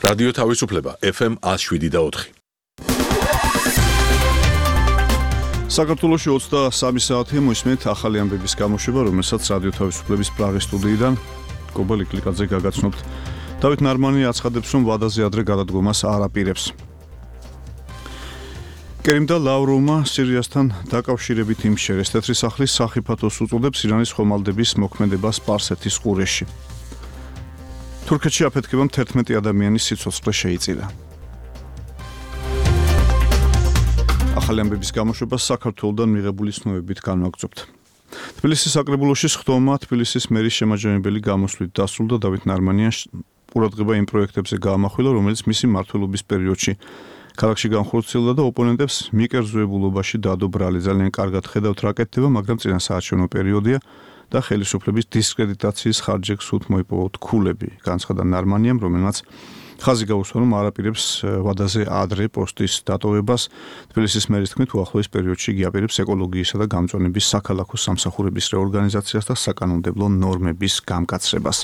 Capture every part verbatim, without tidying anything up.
რადიო თავისუფლება ეფ ემ one oh seven და four. საქართველოში ოცდასამი საათი მოისმენთ ახალი ამბების გამოშვება, რომელსაც რადიო თავისუფლების პრაღის სტუდიიდან გობელ იკლიკაძე გაგაცნობთ. დავით ნარმანი აცხადებს, რომ ვადაზე ადრე გადადგომას არ აპირებს. კერიმ და ლავროვმა სირიასთან დაკავშირებით იმშერეს. თეთრი სახლის სახიფათოს უწოდებს ირანის ხომალდების მოქმედებას სპარსეთის ყურეში. თურქეთში აფეთქებამ თერთმეტი ადამიანის სიცოცხლე შეიწირა. ახალი ამბების გამოშვებას საქართველოდან მიღებული ცნობებით განვაგრძობთ. თბილისის საკრებულოში სხდომა თბილისის მერის შემაჯამებელი გამოსვლით დასრულდა. დავით ნარმანია ყურადღება იმ პროექტებზე გაამახვილა, რომელიც მისი მმართველობის პერიოდში ქალაქში განხორციელდა და ოპონენტებს მიკერძოებულობაში დადო ბრალი. ძალიან კარგად ხედავთ რა კეთდება, მაგრამ წინასაარჩევნო პერიოდია და ხელისუფლების დისკრედიტაციის ხარჯებს უთმ მოიპოვოთ ქულები. განცხადა ნარმანიამ, რომელმაც ხაზი გაუსვა, რომ არ აპირებს ვადაზე ადრე პოსტის დატოვებას. თბილისის მერის თქმით, უახლოეს პერიოდში იგი აპირებს ეკოლოგიისა და გამწვანების საქალაქო სამსახურების რეორგანიზაციას და საკანონმდებლო ნორმების გამკაცრებას.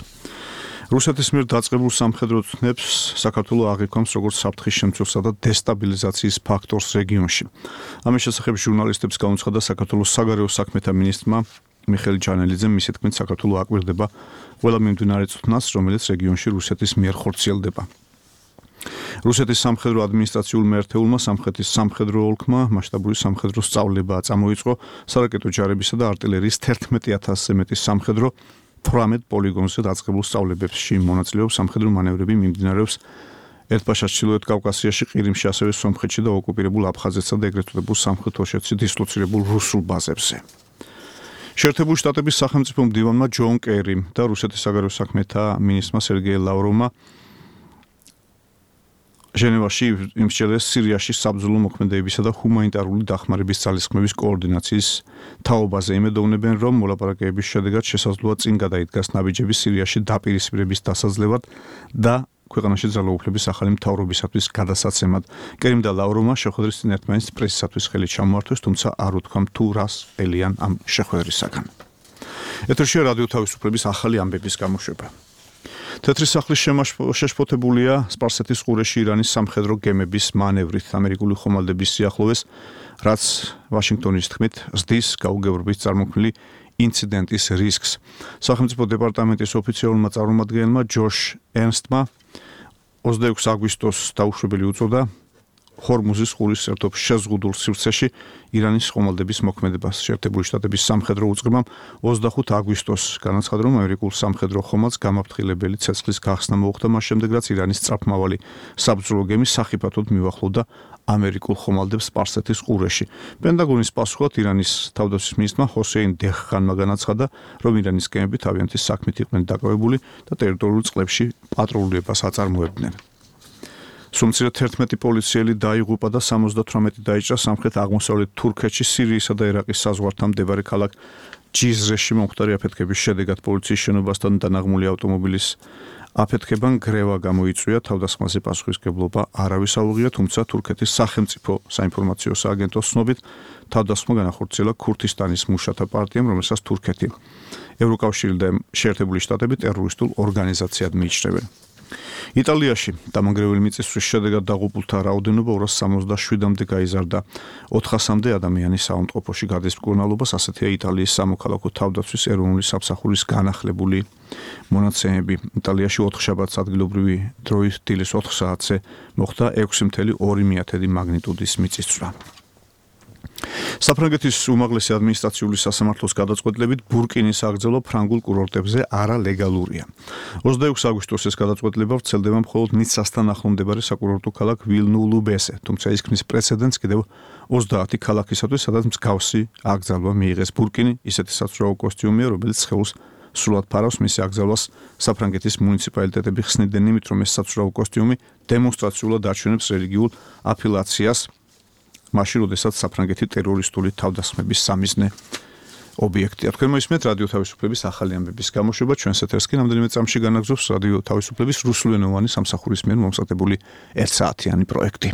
რუსეთის მიერ დაწყებულ სამხედრო ცნებს საქართველო აღიქვამს როგორც საფრთხის შემცველსა და დესტაბილიზაციის ფაქტორს რეგიონში. ამის შესახებ ჟურნალისტებს გაუცხადა საქართველოს საგარეო საქმეთა მინისტრმა მიხეილ ჯანელიძემ. მისი თქმით, საქართველო აკვირდება ყველა მიმდინარე წვნას, რომელიც რეგიონში რუსეთის მიერ ხორციელდება. რუსეთის სამხედრო ადმინისტრაციულ მეერთეულმა სამხრეთის სამხედრო ოლქმა მასშტაბური სამხედრო სწავლება წამოიწყო. სარაკეტო ჯარებისა და артиლერიის თერთმეტი ათასზე მეტი სამხედრო თვრამეტ პოლიგონზე დაწყებულ სწავლებებში მონაწილეობს. სამხედრო მანევრები მიმდინარეობს ერთბაშას ჩრდილოეთ კავკასიაში, ყირიმში, ასევე სომხეთში და ოკუპირებულ აფხაზეთსა და ეგრეთ წოდებულ სამხრეთ ოსეთში დისლოცირებულ რუსულ ბაზებზე. შეერთებული შტატების სახელმწიფო მდივანმა ჯონ კერიმ და რუსეთის საგარეო საქმეთა მინისტრმა სერგეი ლავროვმა ჟენევაში იმსჯელეს სირიაში საბრძოლო მოქმედებისა და ჰუმანიტარული დახმარების ძალისხმევის კოორდინაციის თაობაზე. იმედოვნებენ, რომ მოლაპარაკებების შედეგად შესაძლოა წინ გადაიდგას ნაბიჯები სირიაში დაპირისპირების დასაძლევად და ქვეყანაში ძალაუფლების ახალი მთავრობისათვის გადასაცემად. კერიმ და ლავროვმა შეხვედრის წინ ერთმანეთს პრესისათვის ხელი ჩამოართვეს, თუმცა არ უთქვამ თუ რას ელიან ამ შეხვედრისაგან. ეთერშია რადიო თავისუფლების ახალი ამბების გამოშვება. თეთრი სახლის შეშფოთებულია სპარსეთის ყურეში ირანის სამხედრო გემების მანევრით ამერიკული ხომალდების სიახლოვეს, რაც ვაშინგტონის თქმით ზრდის გაუგებრობის წარმოქმნილი ინციდენტის რისკს. სახელმწიფო დეპარტამენტის ოფიციალურმა წარმომადგენელმა ჯოშ ერნსტმა ოცდაექვსი აგვისტოს დაუშვებელი უწოდა ჰორმუზის ყურის სერთოფ შეზღუდულ სივრცეში ირანის ხომალდების მოქმედებას. შეერთებული შტატების სამხედრო უწყებამ ოცდახუთი აგვისტოს განაცხადა, რომ ამერიკულ სამხედრო ხომალდს გამაფრთხილებელი ცეცხლის გახსნა მოუხდა მას შემდეგ, რაც ირანის სწრაფმავალი საბრძოლო გემი სახიფათოდ მივახლოვდა ამერიკულ ხომალდებს სპარსეთის ყურეში. პენტაგონის პასუხად ირანის თავდაცვის მინისტრმა ჰოსეინ დეჰხანმა განაცხადა, რომ ირანის გემები თავიანთი საქმით იყვნენ დაკავებული და ტერიტორიულ წყლებში პატრულირებას აწარმოებდნენ. სუმცირად თერთმეტი პოლიციელი დაიღუპა და სამოცდათვრამეტი დაიჭრა სამხრეთ აღმოსავლეთ თურქეთში სირიისა და ერაყის საზღვართან მდებარე ქალაქ ჯიზრეში მომხდარი აფეთქების შედეგად. პოლიციის შენობასთან დანაღმული ავტომობილის აფეთქებამ გრევა გამოიწვია. თავდასხმაზე პასუხისმგებლობა არავის აუღია, თუმცა თურქეთის სახელმწიფო საინფორმაციო სააგენტოს ცნობით თავდასხმა განახორციელა ქურთისტანის მუშათა პარტიამ, რომელსაც თურქეთი, ევროკავშირი და შეერთებული შტატები ტერორისტულ ორგანიზაციად მიიჩნევენ. იტალიაში დამანგრეველი მიწისძვრის შედეგად დაღუპულთა რაოდენობა ორას სამოცდაშვიდამდე გაიზარდა. ოთხასამდე ადამიანი საავადმყოფოში გადის მკურნალობას. ასეთია იტალიის სამოქალაქო თავდაცვის ეროვნული სამსახურის განახლებული მონაცემები. იტალიაში ოთხშაბათს ადგილობრივი დროით დილის ოთხ საათზე მოხდა ექვსი კoma ორი მაგნიტუდის მიწისძვრა. საფრანგეთის უმაღლესი ადმინისტრაციული სასამართლოს გადაწყვეტილებით ბურკინის აღძევა ფრანგულ კურორტებზე არალეგალურია. ოცდაექვსი აგვისტოს ეს გადაწყვეტილება ვრცელდება მხოლოდ ნიცასთან ახლო მდებარე საკურორტო ქალაქ ვილნუ-ლუბესზე, თუმცა ის ქმნის პრეცედენტს კიდევ ოცდაათი ქალაქისათვის, სადაც მსგავსი აღძევა მიიღეს. ბურკინი ისეთი საცურაო კოსტიუმია, რომელიც სხეულს სრულად ფარავს. მისი აღძევას საფრანგეთის მუნიციპალიტეტები ხსნიდნენ იმით, რომ ეს საცურაო კოსტიუმი დემონსტრაციულად აჩვენებს რელიგიულ აფილაციას, მაშინ, როდესაც საფრანგეთი ტერორისტული თავდასხმების სამიზნე ობიექტია. თქვენ მოისმენთ რადიო თავისუფლების ახალი ამბების გამოშვება. ჩვენს ეთერს კი რამდენიმე წამში განაგზობს რადიო თავისუფლების რუსულენოვანი სამსახურის მიერ მომსახურებული ერთ საათიანი პროექტი.